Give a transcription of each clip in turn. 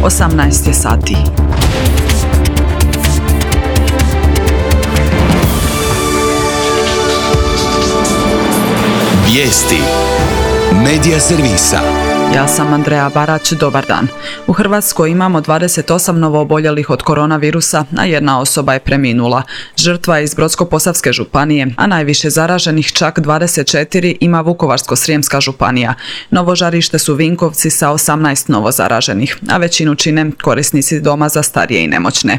18 je sati. Vijesti Medija servisa. Ja sam Andreja Barać, dobar dan. U Hrvatskoj imamo 28 novooboljelih od koronavirusa, a jedna osoba je preminula. Žrtva je iz Brodsko-posavske županije, a najviše zaraženih, čak 24, ima Vukovarsko-srijemska županija. Novo žarište su Vinkovci sa 18 novozaraženih, a većinu čine korisnici doma za starije i nemoćne.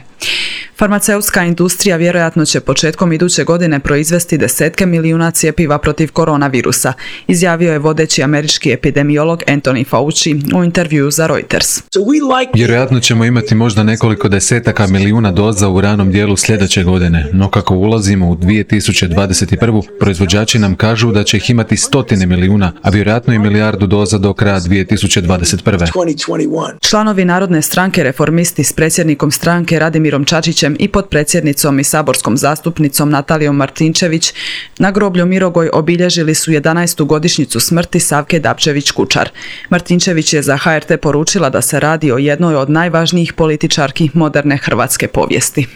Farmaceutska industrija vjerojatno će početkom iduće godine proizvesti desetke milijuna cjepiva protiv koronavirusa, izjavio je vodeći američki epidemiolog Anthony Fauci u intervjuu za Reuters. Vjerojatno ćemo imati možda nekoliko desetaka milijuna doza u ranom dijelu sljedeće godine, no kako ulazimo u 2021. proizvođači nam kažu da će ih imati stotine milijuna, a vjerojatno i milijardu doza do kraja 2021. Članovi Narodne stranke Reformisti s predsjednikom stranke Radimirom Čačićem i potpredsjednicom i saborskom zastupnicom Natalijom Martinčević na groblju Mirogoj obilježili su 11. godišnjicu smrti Savke Dabčević-Kučar. Martinčević je za HRT poručila da se radi o jednoj od najvažnijih političarki moderne hrvatske povijesti.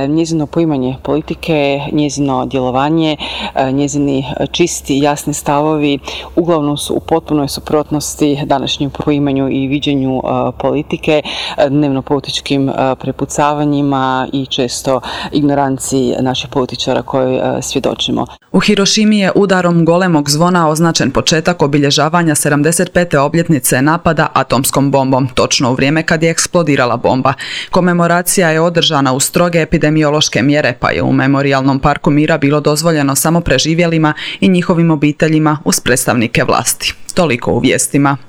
Njezino poimanje politike, njezino djelovanje, njezini čisti i jasni stavovi uglavnom su u potpunoj suprotnosti današnjem poimanju i viđenju politike, dnevno političkim prepucavanjima i često ignoranciji naših političara koje svjedočimo. U Hirošimi je udarom golemog zvona označen početak obilježavanja 75. obljetnice napada atomskom bombom, točno u vrijeme kad je eksplodirala bomba. Komemoracija je održana uz stroge epidemiološke mjere, pa je u Memorijalnom parku Mira bilo dozvoljeno samo preživjelima i njihovim obiteljima uz predstavnike vlasti. Toliko u vijestima.